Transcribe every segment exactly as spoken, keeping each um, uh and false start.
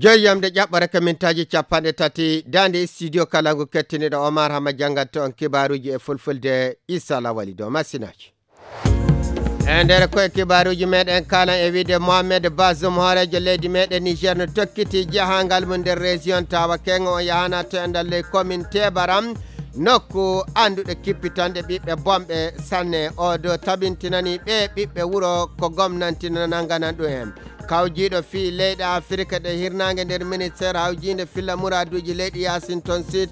Joyi yamde ƴaɓɓore ka mintaaji capanɗe tati, daande studio kala ngu kettiniɗo Omar Hama janngat on kibaaruuji e fulfulde, Issa Lawali Dow masinaaji. E nder koye kibaaruuji meɗen kalan e wiide Mohamed Bazoum, hooreejo leydi meɗen Niger, no tokkiti jahangal mum nder région Tawa Kengo. O yahana to e nder ley commune Tebaram, nokku annduɗo kippitanɗe ɓiɓɓe bonɓe sanne. O do tabintinani ɓe ɓiɓɓe wuro ko gomnanti no nannganan ɗum en. Kawjiiɗo fii leyɗe Afirka ɗe hirnaange nder ministeer hawjiinde filla muraaduuji leyɗe Yaasin ton Sud,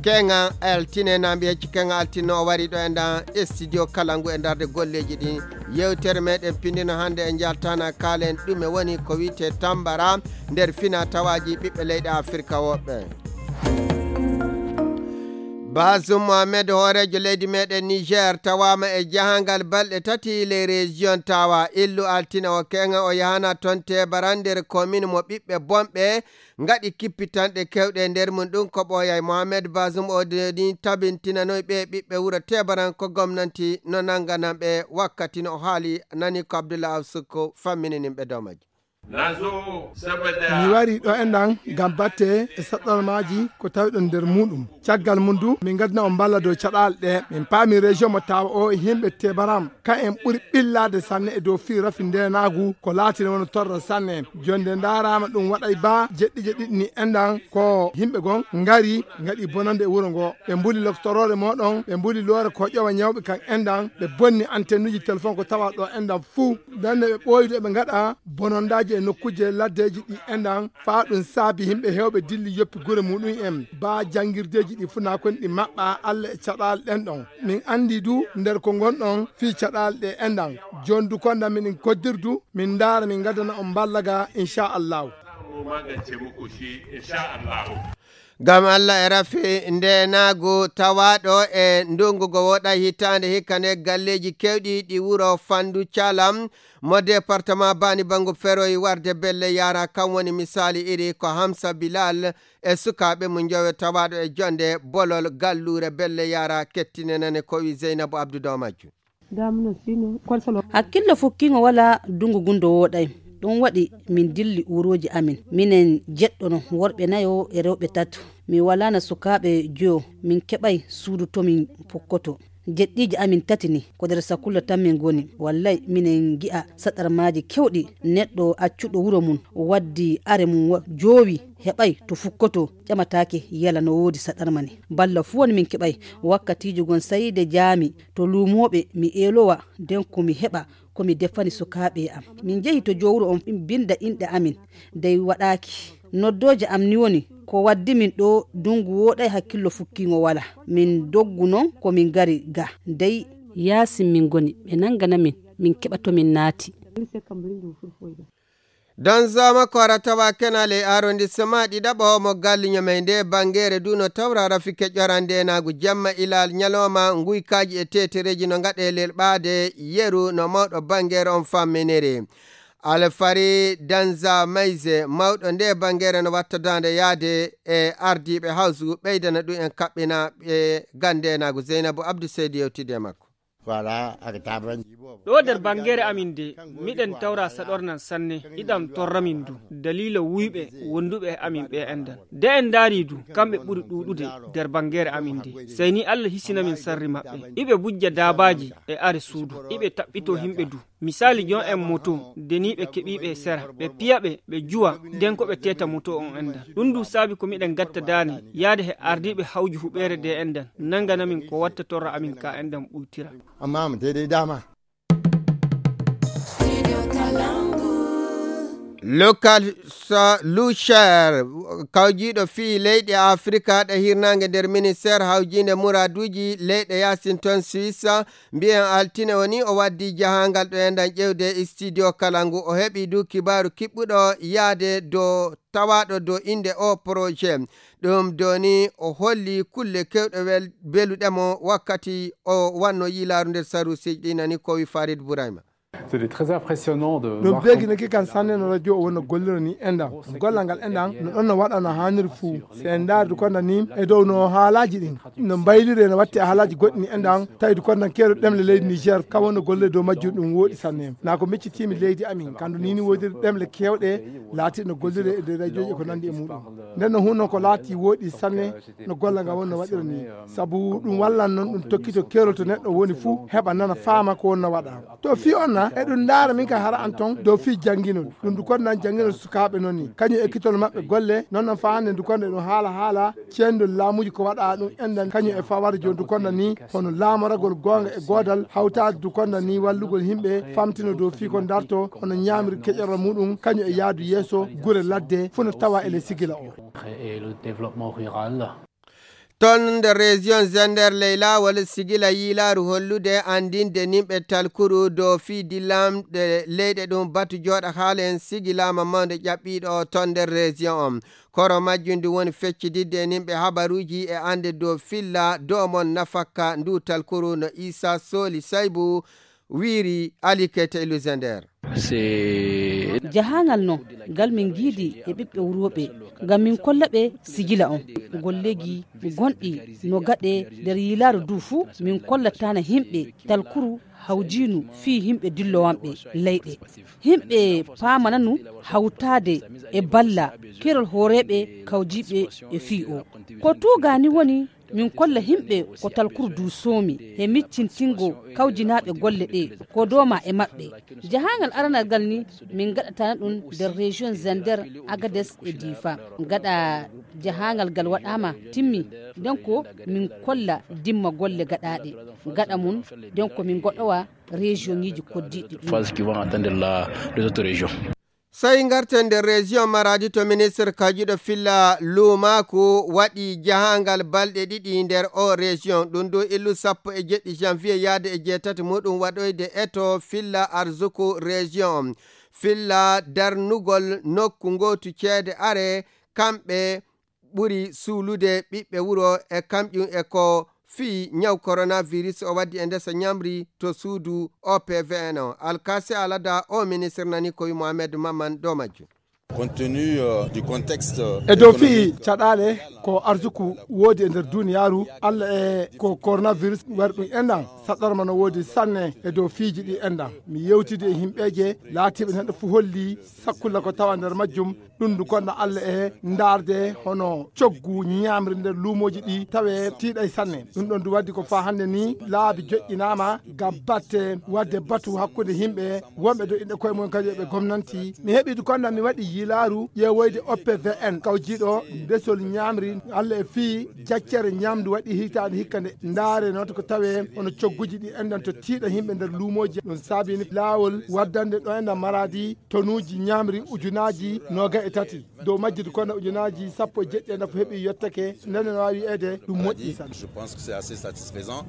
Kenga Altine, na mbiya ci Kenga Altine o wari ɗo e ndan studio kala ngu e ndarde golleeji ɗin. Yewtere meɗen pindino hannde e njaltana kaalen ɗume woni ko wi'ete tambara nder fina tawaaji ɓiɓɓe leyɗe Afirka woɓɓe. Bazoum Mohamed, hooreejo leydi meɗen Niger, tawaama e jahangal balɗe tati ley région Tawa. Illu Altine o Kenga o yahana ton Tebaran nder commune mo ɓiɓɓe bonɓe ngaɗi kippitanɗe kewɗe e nder mum. Ɗum ko ɓooyay. Mohamed Bazoum o de-, ni tabintinanoy ɓe ɓiɓɓe wuro Tebaran ko gomnanti no nannganan ɓe wakkati no o haali nani ko Abdullah Awsuko fammininin ɓe dow majjum. Mi wari ɗo enɗan ngam batte e saɗɗormaaji ko tawiɗon nder muɗum. Caggal mum du, min ngaddina on mballa dow caɗaale ɗe. Min paami région mo Tawa o e yimɓe Tebaram, ka en ɓuri ɓillaade sanne e dow fii rafi ndeenaagu, ko laatini wano torra sanne. Jonde ndaaraama ɗum waɗay baa jeɗɗi jeɗɗi ni enɗan ko yimɓe gon ngari, ngaɗi bonande e wuro ngo. Ɓe mbuli loktoroore mooɗon, ɓe mbuli loore ko ƴowa ñawɓe kan enɗan, ɓe bonni antennuji telefon ko tawa ɗo enɗan fuu. Ndenne ɓe ɓooydu eɓe ngaɗa bonondaaji e nokkuuje laddeeji ɗi enɗan, faa ɗum saabi yimɓe heewɓe dilli yoppi gure muɗum en. Baa janngirdeeji ɗi fuu na kon ɗi maɓɓa Alla e caɗaale ɗen ɗon. Min anndi du nder ko ngonɗon fii caɗaale ɗe enɗan. Jooni du konda minin koddirdu, min ndaara min ngaddana on mballa ga, inchallahu. Ngam Alla e rafi ndeenaagu tawaaɗo e ndungu go woɗay hitaande hikka ne galleeji kewɗi ɗi wuro Fandu Calam mo département Bani Bangu feroyi warde belle yara, kan woni misaali iri ko Hamsa Bilal e sukaaɓe mum njowe tawaaɗo e jonde bolol galluure belle yara. Kettinenane ko wi Zeynabu Abdu dow majjum. Hakkillo fukkiingo walaa, dungu gunndo wooɗay. Ɗum waɗi min dilli uurooji amin. Minen jeɗɗono, worɓe nayo e rewɓe tato. Mi walaana sukaaɓe joyo, min keɓay suudu to min pukkoto. Jeɗɗiiji amin tati ni, ko nder sakulla tan min ngoni. Wallay, minen ngi'a saɗarmaaji kewɗi, neɗɗo accuɗo wuro mum, waddi are mum wa-, joowi, heɓay to fukkoto, ƴamataake yala no woodi saɗarma ni. Balla fuu woni min keɓay wakkatiiji gon sayde jaami to luumooɓe mi eelowa, nden ko mi heɓa ko mi defani sukaaɓe am. Min njehi to jowuro on, min binda inɗe amin, dey waɗaaki. Noddooje am ni woni, ko waddi min ɗo, dungu wooɗay, hakkillo fukkiingo wala. Min doggu non ko min ngari ga, dey yaasin min ngoni, ɓe nangana min, min keɓa to min naati. Don Zama ko ara tawa kenal e arrondissement ɗiɗaɓo mo Galliño may nde bangere du no tawra rafike ƴorande enaagu jamma ilal ñalawma, nguykaaji e tetereeji no ngaɗe lelɓaade yeru no mawɗo bangere on famminiri. Alfari Danza Mayze, mawɗo nde bangere no wattadaande yaade e ardiiɓe hawsu ɓeydana ɗum en kaɓɓina ɓe gande enaagu. Zeynabu Abdou Seydi yewtidi e makko. Voilà, ak tabanji bobo. Ɗo nder bangeere amin de, miɗen tawra saɗornan sanne, iɗam torra min du, daliila wuyɓe wonduɓe e amin ɓe enɗan. De en ndaari du, kamɓe ɓuri ɗuuɗude nder bangeere amin de. Sey ni Allah hisina min sarri maɓɓe. Iɓe bujja daabaaji e are suudu, iɓe taɓɓito himɓe du. Misaali, jon en moto, deniiɓe keɓiiɓe e sera, ɓe piya ɓe, ɓe juwa, den ko ɓe teeta moto on enɗan. Ɗum du saabi ko miɗen gatta daane, yaade he ardiiɓe hawju huɓeere de enɗan, nangana min ko watta torra amin ka enɗan ɓuytira. Amma mu daidai dama. Local sa Lucher, kawjiiɗo fii leyɗe Afrika ɗe hirnaange nder ministeer hawjiinde muraaduuji leyɗe yaasin ton Suisse, mbiyen altine woni o waddi jahaangal ɗo enɗan ƴewde studio kala ngu. O heɓi du kibaaru kiɓɓuɗo yaade dow tawaaɗo dow innde o projet. Ɗum doni o holli kulle kewɗe wel-, beluɗe mo wakkati o wanno yiilaaru nder saruusiiji ɗi nani ko wi Farid Burayma. Ɗum beegi naki kan sanne no radio o wonno golliro ni enɗan gollal ngal enɗan no ɗon no waɗa no hanniri fuu. Si en ndaari du konda ni e dow no haalaaji ɗin no mbayliri no watti e haalaaji goɗɗi ni enɗan tawi du kondan keeru ɗemle leydi niger kan wonno gollire dow majjum ɗum wooɗi sanne. Naa ko miccitiimi leydi amin kandu nini woodiri ɗemle keewɗe laatiɗe no gollire e nder radioji e ko nandi e muɗum. Nden no hunno ko laati wooɗi sanne no gollal ngal wonno waɗira ni. Sabu ɗum wallan noon ɗum tokkito keerol to neɗɗo woni fuu heɓa nana faama ko wonno waɗa. To fii on na eɗum ndaara min ka hara an ton dow fii jannginol ɗum du kondan jannginol sukaaɓe noon ni kañum ekkitol maɓɓe golle noon noon faa hannde du konda eɗum haala haala ceendol laamuuji ko waɗa ɗum enɗan kañum e fawara jooni du konda ni hono laamoragol goonga e goodal hawtaade du konda ni wallugol yimɓe famtino dow fii ko darto hono ñaamri keƴorol muɗum kañum e yaadu yeeso gure ladde fuu no tawa e ley sigila o. Toon nder région Zender ley laawol sigila yiilaaru hollude anndinde nimɓe talkuru dow fii dillamɗe leyɗe ɗum batu jooɗa haala en sigilaama mawnde ƴaɓɓiiɗo toon nder région on. Koro majjum ndu woni feccitidde e nimɓe habaruuji e annde dow filla dow mon nafakka ndu talkuru no Isa Soli Saybu wiiri Ali Keita e Luzender. Jahaangal non ngal min ngiidi e ɓiɓɓe wuro ɓe ngam min kolla ɓe sijila on golleeji gonɗi no gaɗe nder yiilaaru du fuu min kollatana yimɓe talkuru hawjiinu fii yimɓe dillowanɓe leyɗe. Yimɓe paamananu hawtaade e balla kerol hooreeɓe kawjiiɓe e fii o ko tuugaani woni min kolla yimɓe ko talkuru du soomi he miccintingo kawjinaaɓe golle ɗee ko dooma e maɓɓe. Jahaangal aranal ngal ni min ngaɗatana ɗum nder région Zender, Agades e Difa. Gaɗa jahaangal ngal waɗaama timmi nden ko min kolla dimma golle gaɗaaɗe gaɗa mum nden ko min ngoɗowa région ŋiiji koddiiɗi ɗum. Soyi ngarten nder région Maradi to ministre kajuɗo filla luumaaku waɗi jahaangal balɗe ɗiɗi nder o région ɗum du illu sappo e jeɗɗi janvier yaade e jeetati muɗum waɗoyde eto filla arzuku région on filla darnugol nokku ngootu ceede are kamɓe ɓuri suulude ɓiɓɓe wuro e kamƴum e ko fii ñaw coronavirus o waddi e ndesa ñamri to suudu O P V N o. Alkasi Alada o ministre nani ko wi Mohamed Maman dow majjum. Compte tenu du contexte e dow fii caɗaale ko arsuku woodi e nder duniyaaru Allah e ko coronavirus wari ɗum enɗan saɗɗorma no woodi sanne e dow fiiji ɗi enɗan mi yewtidi e yimɓeeje laatiiɓe neɗɗo fuu holli sakkulla ko tawa nder majjum ɗum ndu konno Allah e ndaarde hono coggu ñaamri nder luumooji ɗi tawe tiiɗay sanne ɗum ɗon ndu waddi ko faa hannde ni laabi joƴƴinaama ngam batte wadde batu hakkunde yimɓe wonɓe do inɗe koye mum kadi ɓe gomnanti mi heɓi du konno mi waɗi yilaaru ƴeewoyde O P V N kawjiiɗo ndesol ñaamri Allah e fii jaccere ñaamdu waɗi hitaande hikka nde ndaare noon ko tawe hono cogguji ɗi enɗan to tiiɗa yimɓe nder luumooji ɗum saabini laawol waddande ɗo enɗan maraadi tonuuji ñaamri ujunaaji nooga e tati dow majjude kono ujunaaji sappo e jeɗɗi e nafu heɓi yottake ndene no waawi wiyeede ɗum moƴƴi tan.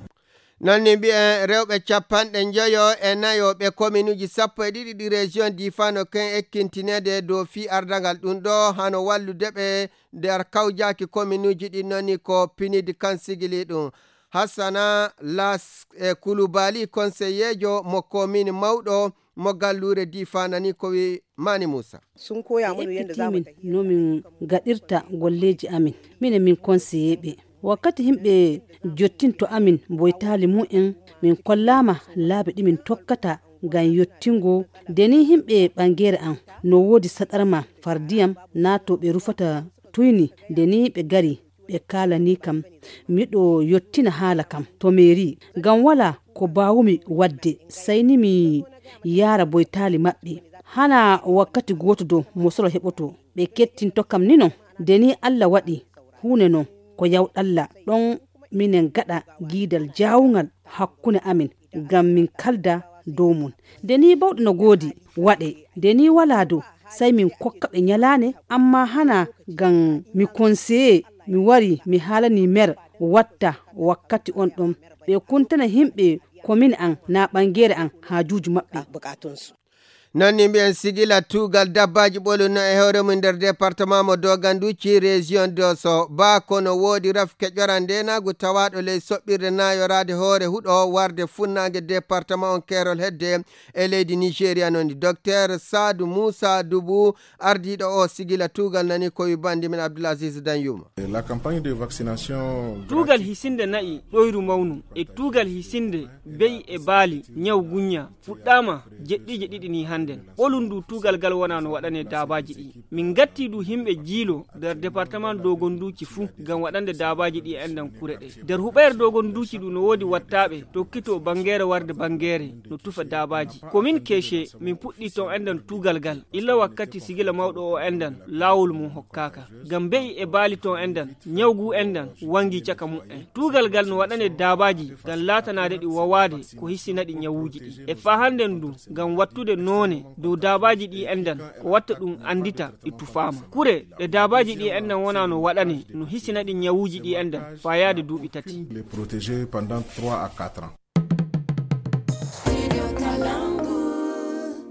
Noon ni mbiyen rewɓe capanɗe njoyo e nayo ɓe kominuuji sappo e ɗiɗi ɗi région difano ken ekkintineede dow fii ardangal ɗum ɗo hano wallude ɓe nder kawjaaki kominuuji ɗin noon ni ko pinidi kan sigili ɗum. Hassana las e kulubali konseyeejo mo komini mawɗo mo galluure difanani ko wi mani muusa. Sun koya mana yadda za mu tafi no min gaɗirta golleeji amin minen min konseyeeɓe wakkati yimɓe jottinto amin boytaali mumen min kollaama laabi ɗi min tokkata ngam yottingo nde ni yimɓe ɓangeere am no woodi saɗarma far ndiyam naato ɓe rufata tuyni nde ni ɓe ngari ɓe kaalanii kam miɗo yottina haala kam to meeri ngam walaa ko mbaawumi waɗde sey ni mi yaara boytaali maɓɓe hanaa wakkati gooto dow mosoro heɓoto ɓe kettinto kam ni non nde ni allah waɗi huunde non ko yawɗalla ɗon minen ngaɗa giidal jaawungal hakkunde amin ngam min kalda dow mum nde ni bawɗe no ngoodi waɗe nde ni walaa dow sey min kokka ɓe ñalaande ammaa hanaa ngam mi konseye mi wari mi haalani meer watta wakkati on ɗon ɓe kuntana yimɓe komin an naa ɓangeere an haajuuji maɓɓe. Non ni mbiyen sigila tuugal dabbaaji ɓolu no e hoore mum nder département mo Doganduci, région Dosso. Ba kono woodi rafke ƴoran ndenaagu tawaaɗo ley soɓɓirde naayoraade hoore huɗo warde funnaange département on keerol hedde e leydi Nigeria non ni. Docteur Sadu Musa Dubu, ardiiɗo o sigila tuugal nani ko wi bandi men Abdulaziz Danyuma. La campagne de vaccination Tuugal hisinde na'i ɗoyru mawnu e tuugal hisinde be'i e baali ñaw guñña fuɗɗaama jeɗɗiije ɗiɗi ni hannden. Ɓolun ndu tuugal gal wona no waɗane daabaaji ɗi. Min ngatti du himɓe jiilo nder département Dogonduuci fuu ngam waɗande daabaaji ɗi enɗan kure ɗe. Nder huɓeere Dogonduuci ɗu no woodi wattaaɓe tokkito banngeere warde banngeere no tufa daabaaji. Ko min keece min puɗɗi ton enɗan tuugal gal. Illa wakkati sigila mawɗo o enɗan laawol mum hokkaaka. Ngam be'i e baali ton enɗan, ñawgu enɗan wangi caka mu'en. Tuugal gal no waɗane daabaaji ngam laatanaade ɗi wawaade ko hissina ɗi ñawuuji ɗi. E faa hannden du ngam wattude noone dow daabaaji ɗi enɗan ko watta ɗum anndita ɗi tufaama. Kure ɗe daabaaji ɗi enɗan wona no waɗane no hissina ɗi ñawuuji ɗi enɗan faa yaade duuɓi tati. Les protéger pendant trois à quatre ans.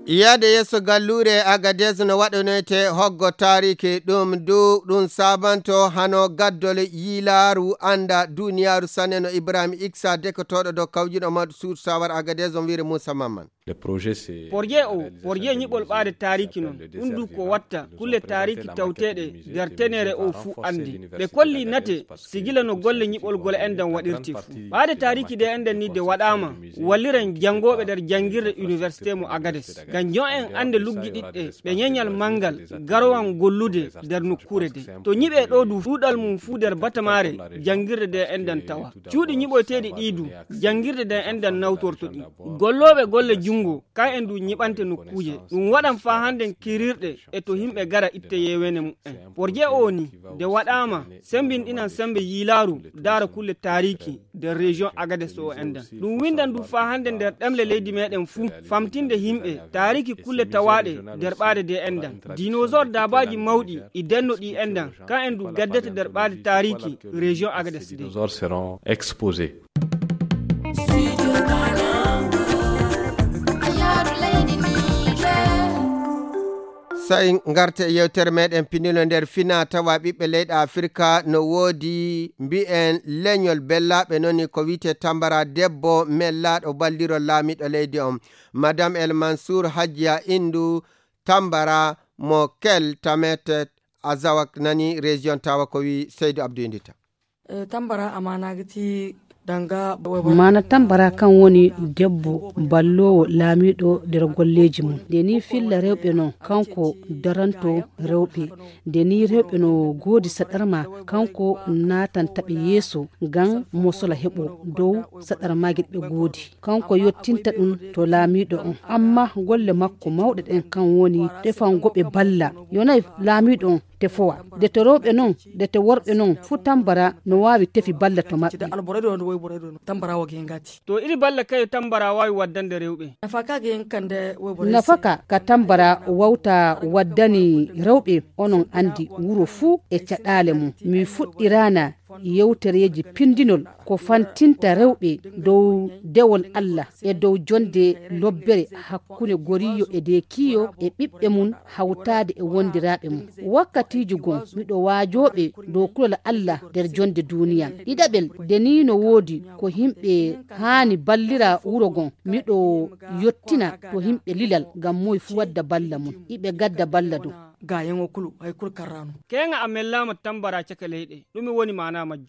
Yaade yeeso galluure Agadez no waɗanoyte hoggo taariki ɗum du ɗum saabanto hano gaddol yiilaaru annda duniyaaru sanne no Ibrahim Iksa dekotooɗo dow kawjuɗo maɗu suudu sawar Agadez on wiire Moussa Mamman. Le projet c'est Porje o porje ñiɓol ɓaade taariki non ɗum du ko watta kulle taariki tawteeɗe nder tenere o fuu anndi. Ɓe kolli nate sigila no golle ñiɓolgol enɗan waɗirte fuu. Ɓaade taariki de enɗan ni de waɗaama walliran janngooɓe nder janngirde université mo Agades ngam jo'en annde luggiɗiɗɗe ɓe ñeñal manngal garowan gollude nder nokkuure de. To ñiɓe ɗo du ɗuuɗal mum fuu nder batamaare janngirde de enɗan tawa. Cuuɗi ñiɓoyteeɗi ɗi du janngirde de enɗan nawtorto ɗi. Gollooɓe golle junngo kan en du ñiɓante nokkuuje. Ɗum waɗan faa hannden kirirɗe e to himɓe gara itte yeewene mu'en. Porje o ni de waɗaama sembinɗinan sembe yiilaaru daara kulle taariki nder région Agades o enɗan. Ɗum winndan du faa hannden nder ɗemle leydi meɗen fuu famtinde himɓe taariki kulle tawaaɗe nder ɓaade de enɗan. Dinosaure daabaaji mawɗi e denno ɗi enɗan kan en du gaddete nder ɓaade taariki région Agades de. Dinosaures seront exposés. Sa'in ngarte e yewtere meɗen pinilo nder fina tawa ɓiɓɓe leyɗe Afirka no woodi mbi'en leñol bellaaɓe non ni ko wi'ete Tambara debbo mellaaɗo ballirol laamiiɗo leydi on. Madame El Mansour Hajjiya Indu Tambara mo Kel Tamet Azawak nani région tawa ko wi Seydou Abdou Indita. Eh, tambara amana gati danga mana tambara kan woni debbo balloowo laamiiɗo nder golleeji mum. Nde ni filla rewɓe non kanko daranto rewɓe. Nde ni rewɓe no goodi saɗarma kanko naatanta ɓe yeeso ngam mosola heɓo dow saɗarmaaji ɓe goodi. Kanko yottinta ɗum to laamiiɗo on. Amma golle makko mawɗe ɗen kan woni tefango ɓe balla. Yonay laamiiɗo on tefowa. Nde to rewɓe non, nde to worɓe non, fuu tambara no waawi tefi balla to maɓɓe. Alboredo no woy boredo no tambara wage ngati. To iri balla kayo tambara waawi waddande rewɓe. Nafaka ge kande woy boredo. Nafaka ka tambara wawta waddani rewɓe onon andi wuro fuu e caɗaale mum. Mi fuɗɗirana yewtereeji pindinol ko fantinta rewɓe dow dewol Allah e dow jonde lobbere hakkunde goriyo e deekiyo e ɓiɓɓe mum hawtaade e wondiraaɓe mum. Wakkatiiji gom miɗo waajooɓe dow kulol Allah nder jonde duuniya. Ɗiɗaɓel, de nii no woodi ko yimɓe haani ballira wuro gon. Miɗo yottina to yimɓe lilal ngam moy fu wadda balla mum. Iɓe gadda balla dow. Gayen o kulu, hay kul karrano. Keŋa a mellaama tambara caka leyɗe. Ɗume woni maana majjum?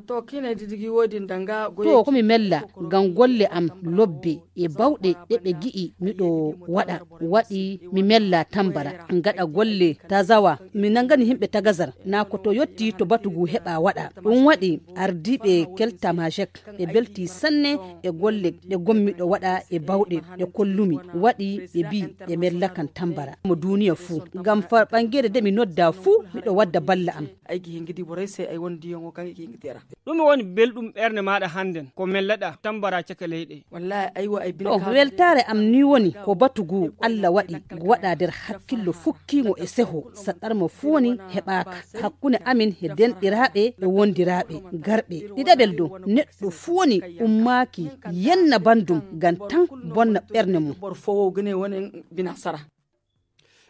To kine didigi wodi danga goye. To ko mi mella ngam golle am lobbe e bawɗe ɗe ɓe gi'i miɗo waɗa. Waɗi mi mella tambara. Ngaɗa golle tazawa. Mi nangani yimɓe tagazar. Na ko to yotti to batugu heɓa waɗa. Ɗum waɗi ardiiɓe keltamajek. Ɓe belti sanne e golle ɗe gommiɗo waɗa e bawɗe ɗe kollumi. Waɗi ɓe bi ɓe mellakan tambara. Mo duniya fuu. Ngam par ɓangeede de mi nodda fuu miɗo wadda balla am. Aygi hingidi boray se ay won diyon o kan hingidera. Ɗume woni belɗum ɓernde maaɗa hannden ko melleɗaa tambara caka leyɗe? Wallahi aywa ay bin o weltaare am ni woni ko batu ngu allah waɗi ngu waɗa nder hakkillo fukkiingo e seho saɗarma fuu woni heɓaaka hakkunde amin he denɗiraaɓe e wondiraaɓe garɓe. Ɗiɗaɓel dow neɗɗo fuu woni ummaaki yenna banndum ngam tan bonna ɓernde mum. Ɓor fowo gine woni bina sara.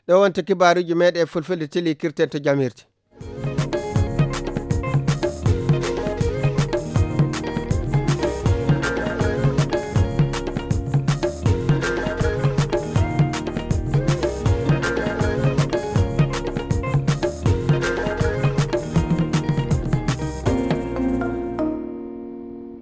Ɗo wonta kibaaruuji meeɗen e fulfulde teli kirten to jamirde.